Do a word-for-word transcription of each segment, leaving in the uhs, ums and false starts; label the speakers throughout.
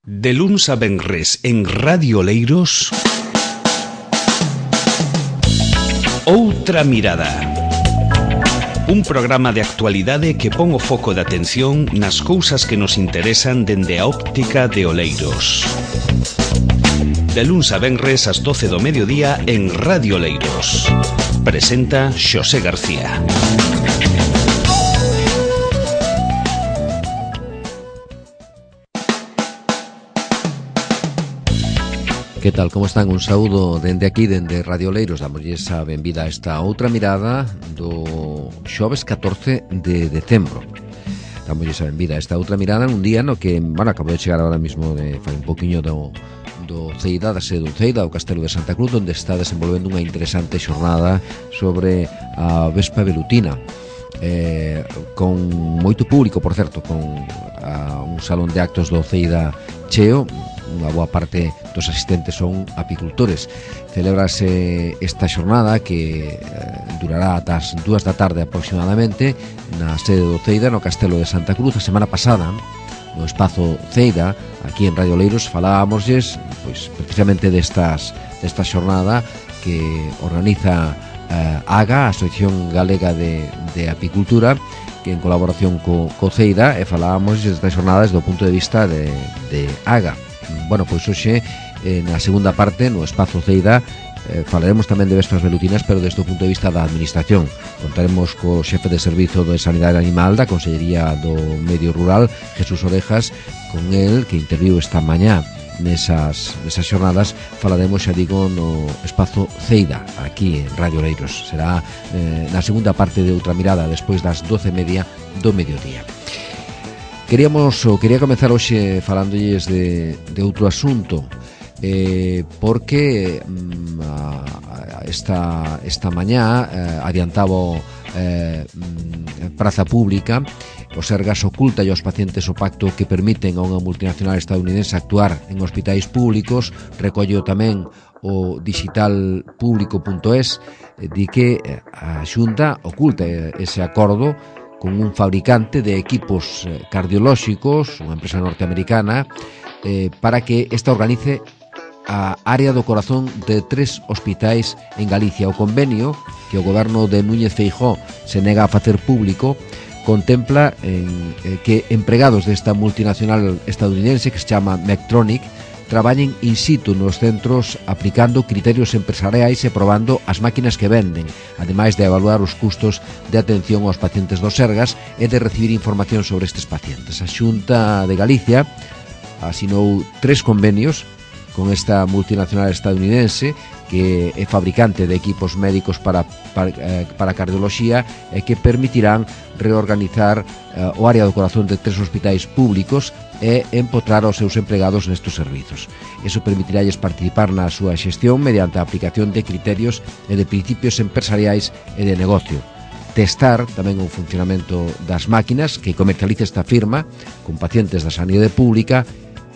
Speaker 1: De luns a venres en Radio Oleiros, Outra Mirada. Un programa de actualidade que pon o foco de atención nas cousas que nos interesan dende a óptica de Oleiros. De luns a venres ás doce do mediodía en Radio Oleiros. Presenta Xosé García.
Speaker 2: Que tal, como están? Un saúdo dende aquí, dende Radio Oleiros. Damosles a benvida a esta outra mirada do xoves catorce de decembro. Damosles a benvida a esta outra mirada un día no que, bueno, acabo de chegar ahora mismo de fai un poquinho do, do Ceida, da sede do Ceida, o Castelo de Santa Cruz, onde está desenvolvendo unha interesante xornada sobre a Vespa velutina. Eh, con moito público, por certo, con a, un salón de actos do Ceida cheo. Unha boa parte dos asistentes son apicultores. Celébrase esta xornada que eh, durará ata as dúas da tarde aproximadamente na sede do Ceida, no Castelo de Santa Cruz. A semana pasada, no espazo Ceida, aquí en Radio Oleiros, falábamosles pois, precisamente destas, desta xornada que organiza eh, AGA, a Asociación Galega de, de Apicultura, que en colaboración co, co Ceida, e falábamos desta xornada desde o punto de vista de, de AGA. Bueno, pois hoxe, eh, na segunda parte, no espazo Ceida, eh, falaremos tamén de vespas velutinas, pero desde o punto de vista da administración. Contaremos co xefe de servizo de Sanidade Animal da Consellería do Medio Rural, Jesús Orejas. Con el, que interviu esta mañá nesas, nesas xornadas, falaremos, xa digo, no espazo Ceida, aquí en Radio Oleiros. Será eh, na segunda parte de Outra Mirada, despois das doce e media do mediodía. Queríamos, ou quería comezar hoxe falándolles de, de outro asunto, eh, porque mm, a, esta, esta mañá eh, adiantaba eh, Praza Pública. O Sergas oculta aos pacientes o pacto que permiten a unha multinacional estadounidense actuar en hospitais públicos. Recollo tamén o digital público punto es, eh, di que a Xunta oculta ese acordo con un fabricante de equipos cardiolóxicos, unha empresa norteamericana, eh, para que esta organice a área do corazón de tres hospitais en Galicia. O convenio que o goberno de Núñez Feijóo se nega a facer público contempla en, eh, que empregados desta multinacional estadounidense que se chama Medtronic traballen in situ nos centros aplicando criterios empresariais e probando as máquinas que venden, ademais de evaluar os custos de atención aos pacientes do Sergas e de recibir información sobre estes pacientes. A Xunta de Galicia asinou tres convenios con esta multinacional estadounidense que é fabricante de equipos médicos para, para, eh, para cardioloxía e que permitirán reorganizar eh, o área do corazón de tres hospitais públicos e empotrar aos seus empregados nestes servizos. Eso permitiralles participar na súa xestión mediante a aplicación de criterios e de principios empresariais e de negocio. Testar tamén o funcionamento das máquinas que comercializa esta firma con pacientes da sanidade pública,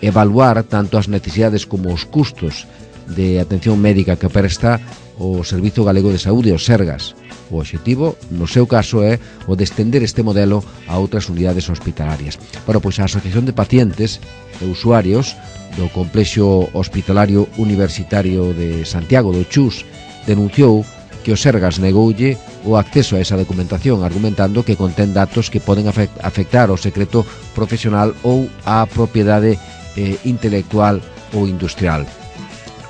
Speaker 2: evaluar tanto as necesidades como os custos de atención médica que presta o Servizo Galego de Saúde, o Sergas. O obxectivo, no seu caso, é o de estender este modelo a outras unidades hospitalarias. Bueno, pois a Asociación de Pacientes e Usuarios do Complexo Hospitalario Universitario de Santiago do Chus denunciou que o Sergas negoulle o acceso a esa documentación, argumentando que contén datos que poden afectar ao secreto profesional ou á propiedade eh, intelectual ou industrial.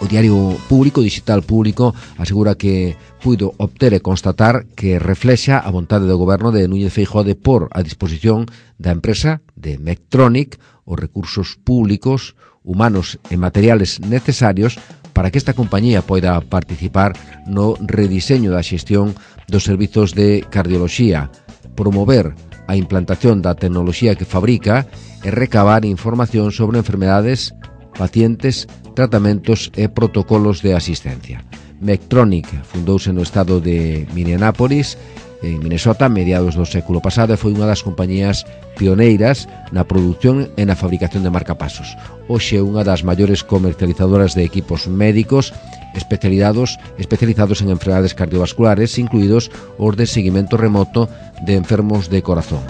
Speaker 2: O Diario Público, Digital Público, asegura que puido obter e constatar que reflexa a vontade do goberno de Núñez Feijóo de pôr a disposición da empresa de Medtronic os recursos públicos, humanos e materiales necesarios para que esta compañía poida participar no rediseño da xestión dos servizos de cardioloxía, promover a implantación da tecnoloxía que fabrica e recabar información sobre enfermedades, pacientes, tratamentos e protocolos de asistencia. Medtronic fundouse no estado de Minneapolis, en Minnesota, a mediados do século pasado, e foi unha das compañías pioneiras na produción e na fabricación de marcapasos. Hoxe é unha das maiores comercializadoras de equipos médicos especializados, especializados en enfermedades cardiovasculares, incluídos os de seguimento remoto de enfermos de corazón.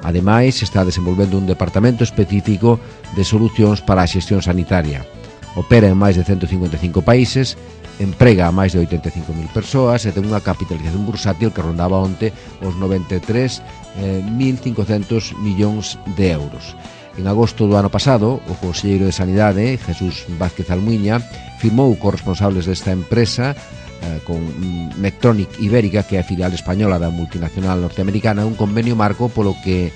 Speaker 2: Ademais, está desenvolvendo un departamento específico de solucións para a xestión sanitaria. Opera en máis de ciento cincuenta e cinco países, emprega a máis de oitenta e cinco mil persoas e ten unha capitalización bursátil que rondaba onte os noventa e tres mil cincocentos millóns de euros. En agosto do ano pasado, o conselleiro de Sanidade, Jesús Vázquez Almuiña, firmou cos responsables desta empresa, eh, con Medtronic Ibérica, que é a filial española da multinacional norteamericana, un convenio marco polo que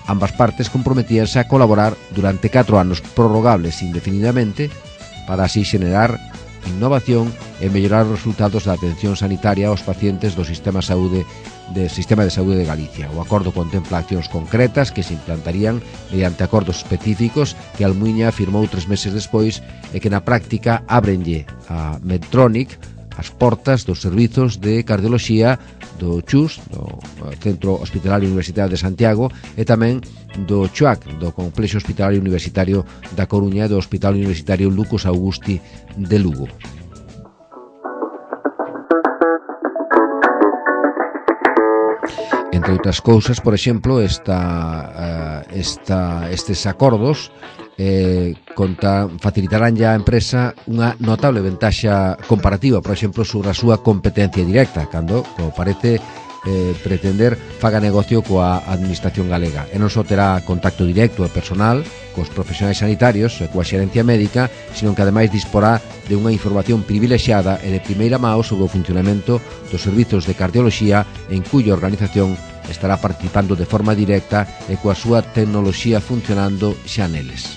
Speaker 2: ambas partes comprometíanse a colaborar durante catro anos prorrogables indefinidamente para así xenerar innovación e mellorar os resultados da atención sanitaria aos pacientes do sistema de saúde do Sistema de Saúde de Galicia. O acordo contempla accións concretas que se implantarían mediante acordos específicos que Almuiña firmou tres meses despois e que na práctica ábrenlle a Medtronic as portas dos servizos de cardioloxía do CHUS, do Centro Hospitalario Universitario de Santiago, e tamén do CHUAC, do Complexo Hospitalario Universitario da Coruña e do Hospital Universitario Lucas Augusti de Lugo. Entre outras cousas, por exemplo, esta, esta, estes acordos eh, conta, facilitarán ya a empresa unha notable ventaxa comparativa, por exemplo, sobre a súa competencia directa, cando, como parece, eh, pretender faga negocio coa administración galega. E non só terá contacto directo e personal cos profesionais sanitarios e coa xerencia médica, sino que ademais disporá de unha información privilexiada e de primeira mão sobre o funcionamento dos servizos de cardioloxía, en cuya organización estará participando de forma directa e coa súa tecnoloxía funcionando xa neles.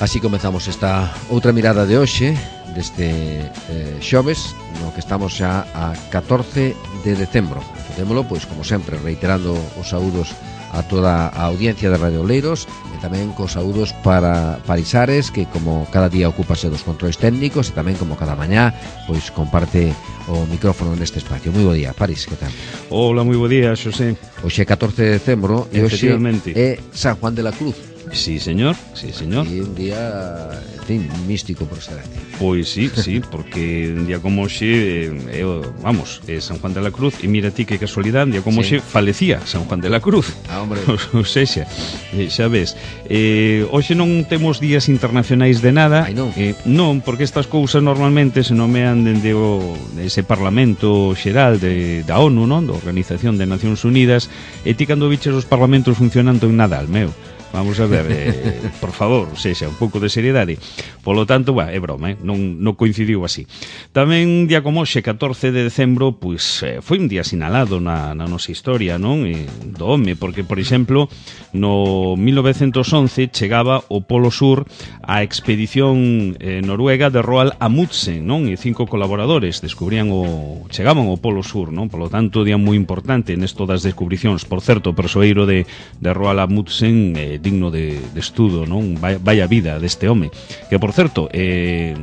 Speaker 2: Así comezamos esta outra mirada de hoxe, deste eh, xoves, no que estamos xa a catorce de decembro. Facémolo, pois, como sempre, reiterando os saúdos a toda a audiencia de Radio Oleiros e tamén cos saúdos para Parisares, que como cada día ocúpase dos controles técnicos e tamén como cada mañá, pois comparte o micrófono neste espacio. Moi bo día, Paris, que tal?
Speaker 1: Hola, moi bo día, Xosé.
Speaker 2: Hoxe é catorce de decembro e hoxe é San Juan de la Cruz.
Speaker 1: Sí, señor, sí, señor.
Speaker 2: E un día, en fin, místico por excelencia.
Speaker 1: Pois sí, sí, porque un día como hoxe, eh, vamos, é San Juan de la Cruz, e mira ti que casualidade, un día como hoxe sí. falecía San Juan de la Cruz.
Speaker 2: Ah, hombre.
Speaker 1: Ou sexa, eh, xa ves, eh, hoxe non temos días internacionais de nada.
Speaker 2: Ai, non?
Speaker 1: Eh, non, porque estas cousas normalmente se nomean dende o, ese Parlamento Xeral de, da ONU, non? Da Organización de Nacións Unidas, e ti cando biches os parlamentos funcionando en Nadal, meu. Vamos a ver, eh, por favor, sexa, un pouco de seriedade. Polo tanto, bah, é broma, eh? non, non coincidiu así. Tamén un día como hoxe, catorce de decembro, pois eh, foi un día sinalado na, na nosa historia, non? E, do home, porque, por exemplo, no mil novecentos once chegaba o Polo Sur a expedición eh, noruega de Roald Amundsen, non? E cinco colaboradores descubrían o chegaban ao Polo Sur, non? Polo tanto, día moi importante nesto das descubricións. Por certo, o persoeiro de, de Roald Amundsen eh, digno de, de estudo, non? Vaya, vaya vida deste home, que por certo eh,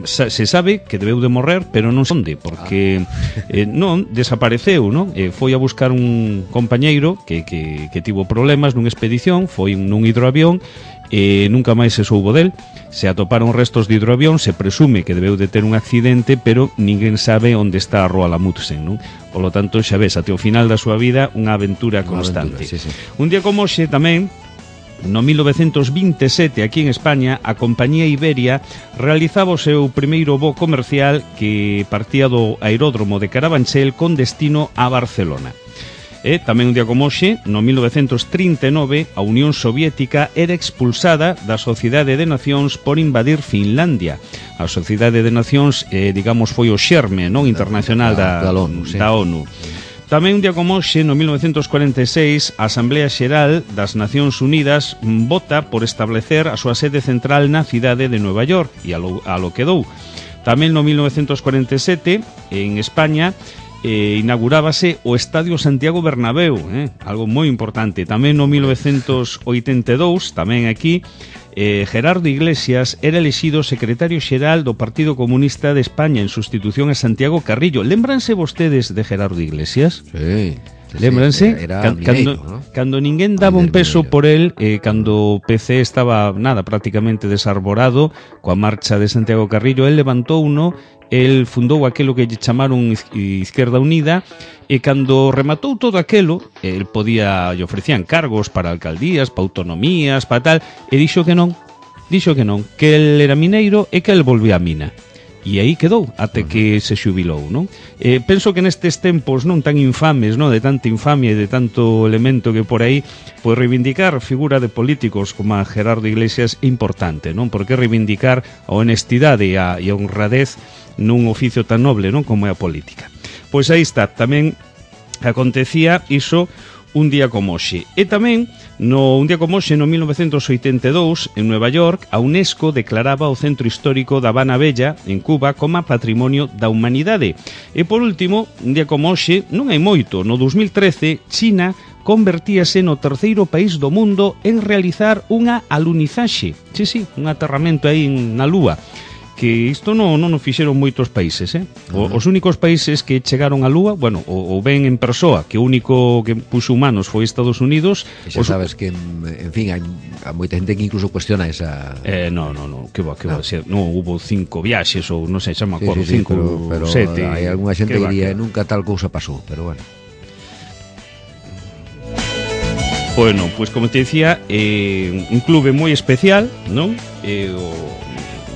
Speaker 1: se sabe que debeu de morrer, pero non onde, porque eh, non, desapareceu, non? Eh, foi a buscar un compañeiro que, que, que tivo problemas nunha expedición, foi nun hidroavión e nunca máis se soubo del. Se atoparon restos de hidroavión, se presume que debeu de ter un accidente, pero ninguén sabe onde está a Roald Amundsen, non? Polo tanto, xa ves, até o final da súa vida unha aventura constante.
Speaker 2: Aventura, sí, sí.
Speaker 1: Un día como hoxe tamén, no mil novecentos vinte e sete, aquí en España, a compañía Iberia realizaba o seu primeiro voo comercial que partía do aeródromo de Carabanchel con destino a Barcelona. E tamén un día como hoxe, no mil novecentos trinta e nove, a Unión Soviética era expulsada da Sociedade de Nacións por invadir Finlandia. A Sociedade de Nacións, eh, digamos, foi o xerme, non, internacional da, da, da ONU. Sí. Da ONU. Tamén un día como hoxe, no mil novecentos cuarenta e seis, a Asamblea Xeral das Nacións Unidas vota por establecer a súa sede central na cidade de Nueva York, e a lo, a lo quedou. Tamén no mil novecentos cuarenta e sete, en España, eh, inaugurábase o Estadio Santiago Bernabéu, eh, algo moi importante. Tamén no mil novecentos oitenta e dous, tamén aquí, Eh, Gerardo Iglesias era elexido secretario xeral do Partido Comunista de España en sustitución a Santiago Carrillo. Lémbranse vostedes de Gerardo Iglesias?
Speaker 2: Sí. entonces.
Speaker 1: Lembranse?
Speaker 2: Era, era
Speaker 1: Can,
Speaker 2: mineiro,
Speaker 1: cando,
Speaker 2: ¿no?
Speaker 1: cando ninguén daba un peso por el, eh, cando o P C estaba, nada, prácticamente desarborado, coa marcha de Santiago Carrillo, el levantou uno, el fundou aquelo que lle chamaron Izquierda Unida, e cando rematou todo aquelo, el podía, lle ofrecían cargos para alcaldías, para autonomías, para tal, e dixo que non, dixo que non, que el era mineiro e que el volvía a mina. E aí quedou, até que se xubilou, non? Eh, penso que nestes tempos non tan infames, non, de tanta infamia e de tanto elemento que por aí, pois reivindicar figura de políticos como a Gerardo Iglesias é importante, non? Porque reivindicar a honestidade e a, e a honradez nun oficio tan noble, non, como é a política. Pois aí está, tamén acontecía iso un día como hoxe. E tamén, no un día como hoxe, no mil novecentos oitenta e dous, en Nueva York, a UNESCO declaraba o centro histórico da Habana Bella, en Cuba, como Patrimonio da Humanidade. E por último, un día como hoxe, non hai moito, no dos mil trece, China convertíase no terceiro país do mundo en realizar unha alunizaxe. Sí, sí, un aterramento aí na Lúa. Que isto non, non o fixeron moitos países, eh? O, uh-huh. Os únicos países que chegaron á Lúa, bueno, o, o ven en persoa, que o único que puxo humanos foi Estados Unidos.
Speaker 2: E xa
Speaker 1: os...
Speaker 2: sabes que, en fin, hai, hai moita gente que incluso cuestiona esa...
Speaker 1: Eh, no, no, no, que va, que no. va, se, no, hubo cinco viaxes, ou non sei, xa me acordo,
Speaker 2: sí, sí, sí,
Speaker 1: cinco,
Speaker 2: pero, pero
Speaker 1: sete.
Speaker 2: Hai algunha xente que diría, nunca tal cousa pasou, pero bueno.
Speaker 1: Bueno, pois pues, como te decía, eh, un clube moi especial, non? Eh, o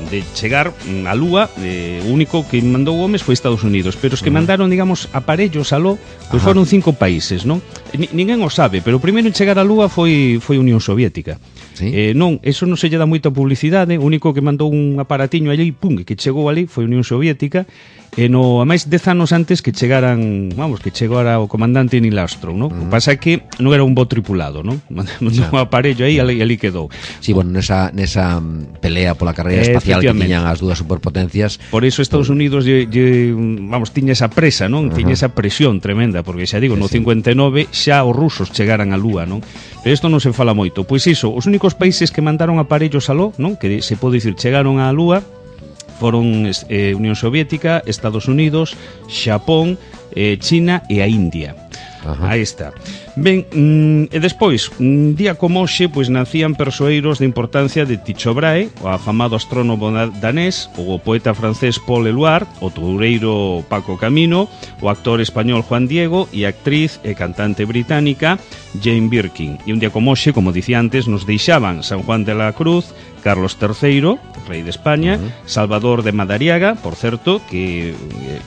Speaker 1: de chegar á Lúa, eh, o único que mandou homes foi Estados Unidos, pero os que uh-huh. mandaron, digamos, aparellos aló, pois foron cinco países, non? N- ninguén o sabe, pero o primeiro en chegar á Lúa foi foi Unión Soviética. ¿Sí? Eh, non, eso non se lle dá moita publicidade, o único que mandou un aparatiño allí, pum, que chegou ali foi Unión Soviética, e no, a máis dez anos antes que chegaran, vamos, que chegara o comandante Neil Armstrong, non? Uh-huh. O pasa é que non era un bo tripulado, non? Mandou un aparello aí e ali, ali quedou.
Speaker 2: Sí, bueno, nesa, nesa pelea pola carreira espacial que tiñan as dúas superpotencias.
Speaker 1: Por iso Estados Unidos lle, lle, vamos, tiña esa presa, non? Uh-huh. Tiña esa presión tremenda, porque xa digo, sí, no cincuenta e nove xa os rusos chegaran á Lúa, non? Pero isto non se fala moito. Pois iso, os únicos países que mandaron aparellos aló, non? Que se pode dicir chegaron á Lúa foron eh, Unión Soviética, Estados Unidos, Xapón, eh, China e a India. Ajá. Aí está. Ben, mm, e despois, un día como hoxe, pois nacían persoeiros de importancia de Tycho Brahe, o afamado astrónomo danés, o poeta francés Paul Éluard, o toureiro Paco Camino, o actor español Juan Diego e a actriz e cantante británica Jane Birkin. E un día como hoxe, como dicía antes, nos deixaban San Juan de la Cruz, Carlos terceiro, rei de España, uh-huh. Salvador de Madariaga, por certo, que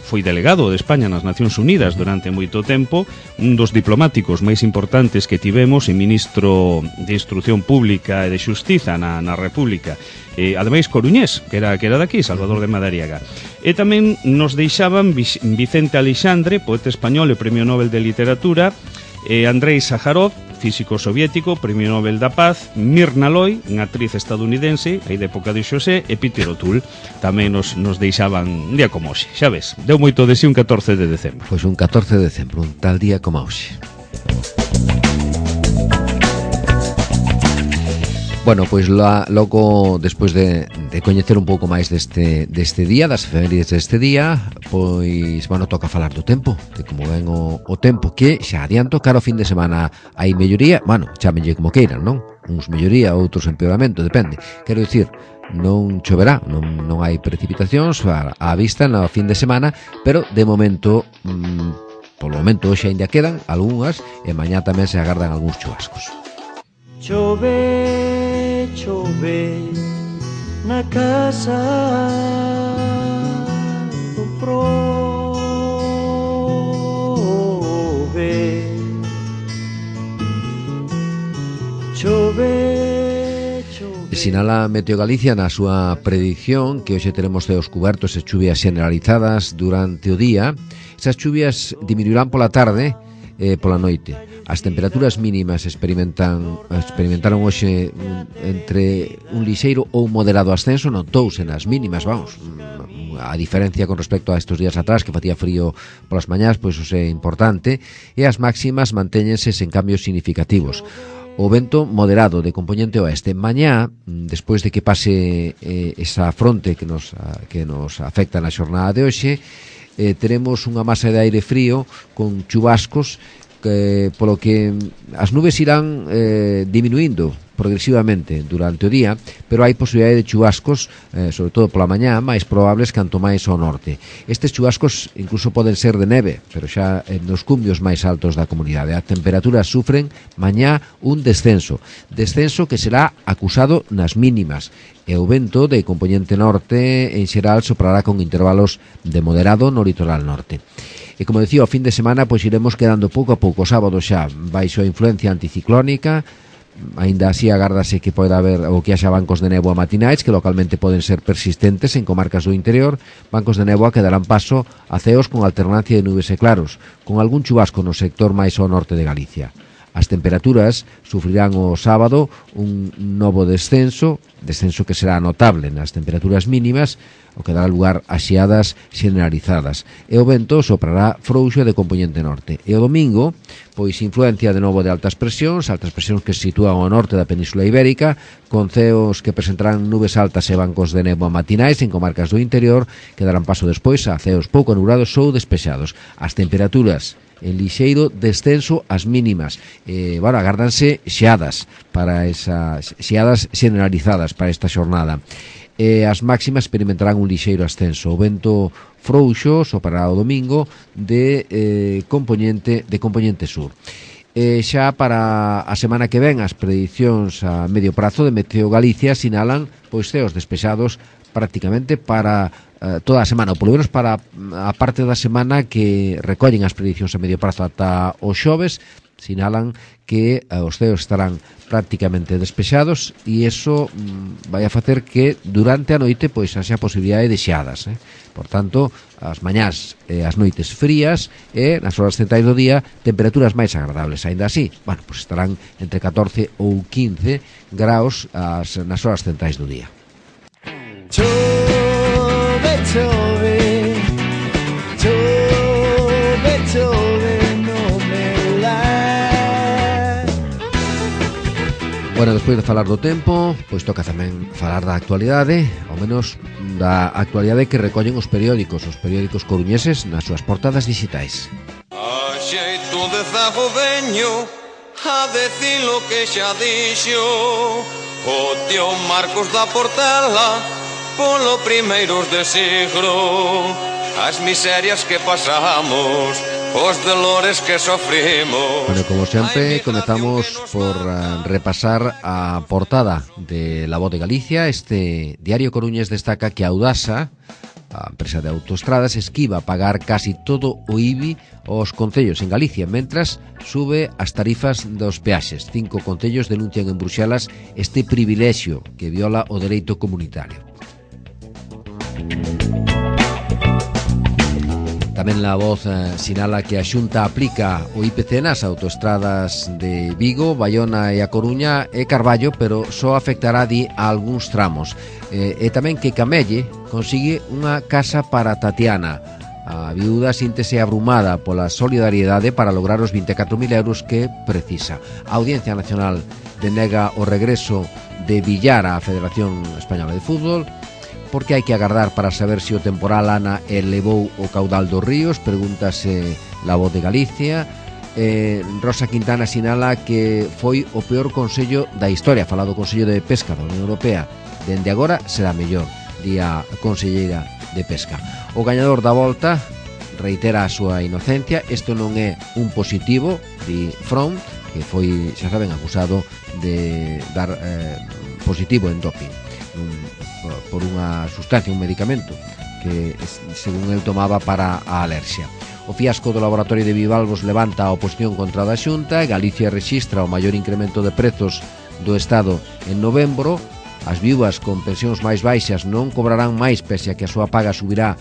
Speaker 1: foi delegado de España nas Nacións Unidas durante moito tempo, un dos diplomáticos máis importantes que tivemos e ministro de Instrucción Pública e de Xustiza na, na República. Eh, ademais, coruñés, que era, que era daqui, Salvador de Madariaga. E tamén nos deixaban Vicente Aleixandre, poeta español e Premio Nobel de Literatura, eh, Andrei Sájarov, físico soviético, Premio Nobel da Paz, Mirna Loy, unha actriz estadounidense, aí de época de Xosé, e Peter O'Toole, tamén nos, nos deixaban un día como hoxe, xa ves, deu moito de si un catorce de decembro.
Speaker 2: Pois un catorce de decembro, un tal día como hoxe. Bueno, pois la, logo, despois de, de coñecer un pouco máis deste, deste día, das efemérides deste día, pois, bueno, toca falar do tempo, de como ven o, o tempo, que xa adianto, cara ao fin de semana hai melloría, bueno, chámenlle como queiran, non? Uns melloría, outros empeoramento, depende. Quero dicir, non choverá, non, non hai precipitacións á, á vista no fin de semana, pero de momento, mmm, polo momento hoxe ainda quedan algunhas, e mañá tamén se agardan algúns chubascos.
Speaker 3: Chove, chove na casa do prove. Chove, chove.
Speaker 2: Sinala Meteo Galicia na súa predición que hoxe teremos ceos cubertos e chuvias generalizadas durante o día. Esas chuvias diminuirán pola tarde e pola noite. As temperaturas mínimas experimentan experimentaron hoxe un, entre un lixeiro ou moderado ascenso, notouse nas mínimas, vamos, a diferencia con respecto a estes días atrás que facía frío polas mañás, pois iso é importante, e as máximas mantéñense sen cambios significativos. O vento moderado de compoñente oeste. Mañá, despois de que pase eh, esa fronte que nos, que nos afecta na xornada de hoxe, eh, teremos unha masa de aire frío con chubascos que, polo que as nubes irán eh, diminuindo progresivamente durante o día, pero hai posibilidade de chubascos, eh, sobre todo pola mañá, máis probables canto máis ao norte. Estes chubascos incluso poden ser de neve, pero xa eh, nos cumbios máis altos da comunidade. As temperaturas sufren mañá un descenso, descenso que será acusado nas mínimas, e o vento de componente norte en xeral soprará con intervalos de moderado no litoral norte. E como decía, o fin de semana pois iremos quedando pouco a pouco. O sábado xa baixo a influencia anticiclónica, aínda así agárdase que poida haber ou que haxa bancos de néboa matinais que localmente poden ser persistentes en comarcas do interior, bancos de néboa que darán paso a ceos con alternancia de nubes e claros, con algún chubasco no sector máis ao norte de Galicia. As temperaturas sufrirán o sábado un novo descenso, descenso que será notable nas temperaturas mínimas, o que dará lugar a xeadas generalizadas. E o vento soprará frouxo de componente norte. E o domingo, pois influencia de novo de altas presións, altas presións que se sitúan ao norte da Península Ibérica, con ceos que presentarán nubes altas e bancos de néboa matinais en comarcas do interior, que darán paso despois a ceos pouco nublados ou despexados. As temperaturas en lixeiro descenso ás mínimas. Eh, bueno, agárdanse xeadas para esas xeadas generalizadas para esta xornada. Eh, as máximas experimentarán un lixeiro ascenso. O vento frouxo soprará o domingo de eh, componente de componente sur. E xa para a semana que ven as predicións a medio prazo de Meteo Galicia sinalan pois ceos despexados prácticamente para uh, toda a semana, ou polo menos para a parte da semana que recollen as predicións a medio prazo ata o xoves, sinalan que uh, os ceos estarán prácticamente despexados e iso um, vai a facer que durante a noite pois haxa posibilidade de xeadas, eh? Por tanto, as mañás e as noites frías e nas horas centrais do día temperaturas máis agradables. Ainda así, bueno, pois estarán entre catorce ou quince graus as, nas horas centrais do día.
Speaker 3: Chove, chove, chove, chove no meu lar.
Speaker 2: Bueno, despois de falar do tempo, pois toca tamén falar da actualidade, ao menos da actualidade que recollen os periódicos, os periódicos coruñeses nas súas portadas digitais.
Speaker 4: A xeito de zago veño a decir lo que xa dixo o tío Marcos da Portela polo primeiros de siglo, as miserias que pasamos, os dolores que sofrimos.
Speaker 2: Bueno, como sempre, comezamos por uh, repasar a portada de La Voz de Galicia. Este diario coruñés destaca que Audasa, a empresa de autoestradas, esquiva pagar casi todo o I B I aos concellos en Galicia, mentras sube as tarifas dos peaxes. Cinco concellos denuncian en Bruxelas este privilexio que viola o dereito comunitario. Tamén La Voz eh, sinala que a Xunta aplica o I P C nas autoestradas de Vigo, Baiona e A Coruña e Carballo, pero só afectará, di, a algúns tramos. Eh, e tamén que Camelle consigue unha casa para Tatiana. A viúda síntese abrumada pola solidariedade para lograr os vinte e catro mil euros que precisa. A Audiencia Nacional denega o regreso de Villar á Federación Española de Fútbol, porque hai que agardar para saber se o temporal Ana elevou o caudal dos ríos, pregúntase La Voz de Galicia. eh, Rosa Quintana sinala que foi o peor consello da historia, falado do Consello de Pesca da Unión Europea. Dende agora será mellor, di a conselleira de Pesca. O gañador da volta reitera a súa inocencia. Isto non é un positivo, di From, que foi, xa saben, acusado de dar eh, positivo en doping un, por unha sustancia, un medicamento que según el tomaba para a alerxia. O fiasco do laboratorio de Vivalvos levanta a oposición contra a Xunta e Galicia rexistra o maior incremento de prezos do Estado en novembro. As viúvas con pensións máis baixas non cobrarán máis pese a que a súa paga subirá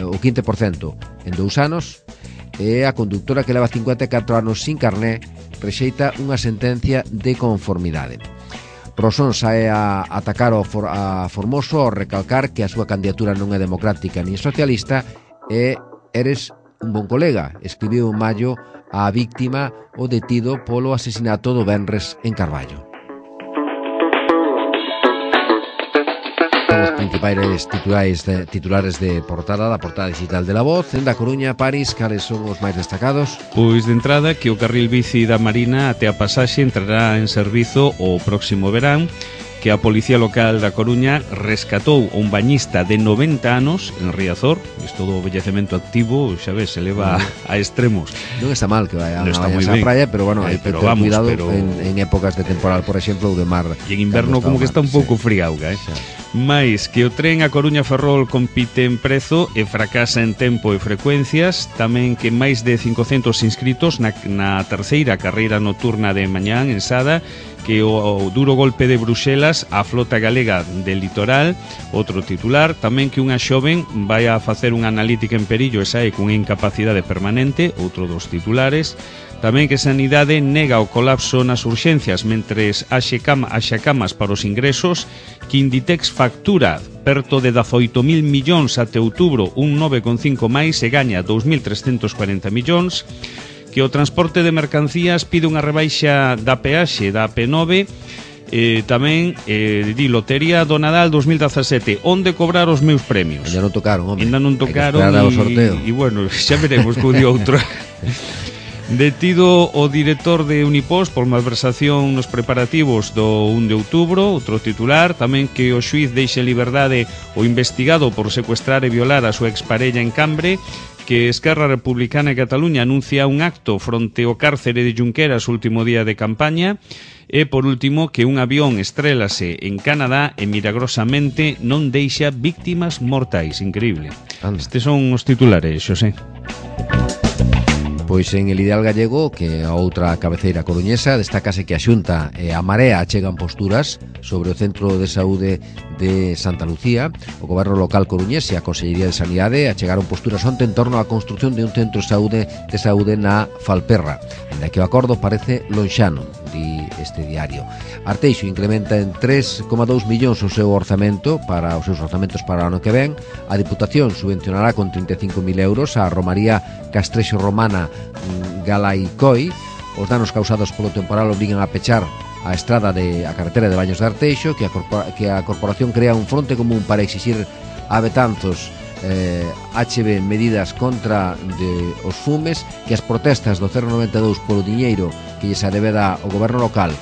Speaker 2: o quince por cento en dous anos. E a conductora que leva cincuenta e catro anos sin carné rexeita unha sentencia de conformidade. Rosón sae a atacar ao For, a Formoso ao recalcar que a súa candidatura non é democrática nin socialista e eres un bon colega, escribiu en maio a víctima o detido polo asesinato do venres en Carballo. son os principais titulares de, titulares de portada da portada digital de La Voz. En da Coruña, París, cales son os máis destacados?
Speaker 1: Pois de entrada que o carril bici da Marina até a pasaxe entrará en servizo o próximo verán, que a Policía Local da Coruña rescatou un bañista de noventa anos en Riazor. Isto do vellecemento activo, xa ves, se leva a, a extremos.
Speaker 2: Non está mal que vai a,
Speaker 1: non
Speaker 2: a esa praia, pero bueno, hai
Speaker 1: eh,
Speaker 2: que ter
Speaker 1: vamos,
Speaker 2: cuidado
Speaker 1: pero...
Speaker 2: en, en épocas de temporal, por exemplo, ou de mar.
Speaker 1: E en inverno como que está un pouco
Speaker 2: sí.
Speaker 1: friauga, eh?
Speaker 2: Xa.
Speaker 1: Mais que o tren a Coruña Ferrol compite en prezo e fracasa en tempo e frecuencias. Tamén que máis de cincocentos inscritos na, na terceira carreira nocturna de mañán en Sada, que o, o duro golpe de Bruxelas á flota galega del litoral. Outro titular, tamén que unha xoven vai a facer unha analítica en Perillo e sae cunha incapacidade permanente. Outro dos titulares. Tamén que Sanidade nega o colapso nas urxencias mentres haxe cama, haxa camas para os ingresos, que Inditex factura perto de dezaoito mil millóns até outubro, un nove coma cinco máis, e gaña dous mil trescentos cuarenta millóns, que o transporte de mercancías pide unha rebaixa da peaxe da A P nove, eh, tamén eh, di Lotería do Nadal dos mil dezasete, onde cobrar os meus premios.
Speaker 2: Ainda non tocaron, home.
Speaker 1: Ainda non tocaron e, e bueno, xa veremos que o di outro. Detido o director de Unipos por malversación nos preparativos do un de outubro. Outro titular, tamén que o xuiz deixe en liberdade o investigado por secuestrar e violar a súa exparella en Cambre, que Esquerra Republicana de Cataluña anuncia un acto fronte ao cárcere de Junqueras o último día de campaña. E, por último, que un avión estrélase en Canadá e milagrosamente non deixa víctimas mortais. Increíble. Estes son os titulares, Xosé.
Speaker 2: Pois en El Ideal Gallego, que a outra cabeceira coruñesa, destácase que a Xunta e a Marea achegan posturas sobre o Centro de Saúde de Santa Lucía. O Goberno Local coruñés e a Consellería de Sanidade achegaron posturas onte en torno á construción de un centro de saúde, de saúde na Falperra, ainda que o acordo parece lonxano, di este diario. Arteixo incrementa en tres coma dous millóns o seu orzamento para os seus orzamentos para o ano que ven. A Diputación subvencionará con trinta e cinco mil euros a Romaría Castrexo Romana Galaicoi. Os danos causados polo temporal obrigan a pechar a estrada de a carretera de Baños de Arteixo, que a, corpora, que a corporación crea un fronte común para exixir a Betanzos eh, H B medidas contra de os fumes, que as protestas do cero noventa e dous polo diñeiro que lle se debeda ao goberno local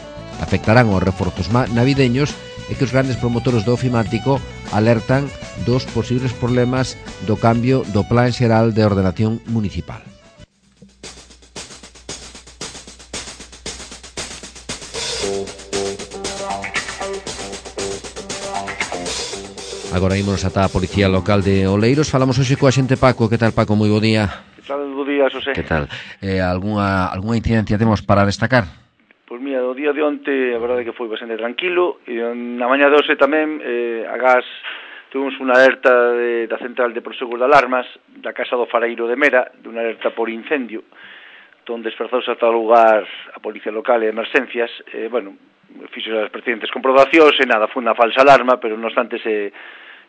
Speaker 2: afectarán os reforzos navideños, e que os grandes promotores do ofimático alertan dos posibles problemas do cambio do Plan Xeral de Ordenación Municipal. Agora ímonos ata a Policía Local de Oleiros. Falamos hoxe coa xente Paco. Que tal, Paco? Moi bo día.
Speaker 5: Que tal, bo día, Xosé.
Speaker 2: Que tal? Eh, algunha, algunha incidencia temos para destacar?
Speaker 5: Pois mira, o día de onte a verdade que foi bastante tranquilo, e na mañá de hoxe tamén eh, a gas tuvimos unha alerta de, da Central de Prosegur de Alarmas da Casa do Fareiro de Mera, de unha alerta por incendio, donde desplazouse ata o lugar a Policía Local e Emerxencias. Eh, bueno, fixo as pertinentes comprobacións e nada, foi unha falsa alarma, pero non obstante se,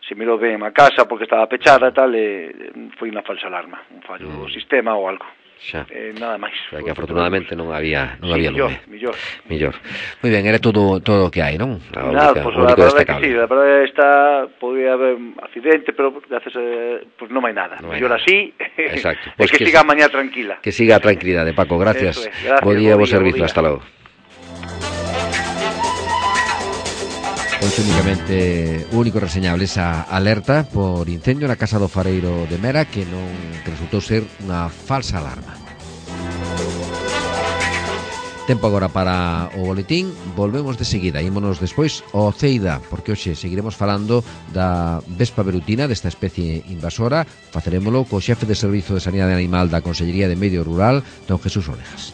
Speaker 5: se mirou ben a casa porque estaba pechada e tal, e foi unha falsa alarma, un fallo do sistema ou algo.
Speaker 2: Xa.
Speaker 5: Eh, nada máis.
Speaker 2: O sea, que afortunadamente non había non
Speaker 5: sí,
Speaker 2: había
Speaker 5: millor,
Speaker 2: lume.
Speaker 5: millor.
Speaker 2: Millor. Moi ben, era todo todo o que hai, non?
Speaker 5: A nada, pois pues, a verdade que sí, a verdade está, podía haber accidente, pero gracias a, pues non hai nada.
Speaker 2: No
Speaker 5: mellor
Speaker 2: nada.
Speaker 5: así.
Speaker 2: Exacto.
Speaker 5: Pues que, que siga mañá tranquila.
Speaker 2: Que siga a tranquilidade, Paco, gracias.
Speaker 5: Es, gracias.
Speaker 2: Bo día, bo
Speaker 5: día,
Speaker 2: servizo,
Speaker 5: día.
Speaker 2: hasta logo. Pois únicamente o único reseñable esa alerta por incendio na Casa do Fareiro de Mera, que non que resultou ser unha falsa alarma. Tempo agora para o boletín. Volvemos de seguida, ímonos despois ao Ceida, porque hoxe seguiremos falando da vespa velutina, desta especie invasora. Facerémolo co xefe de Servizo de Sanidade Animal da Consellería de Medio Rural, don Jesús Orejas.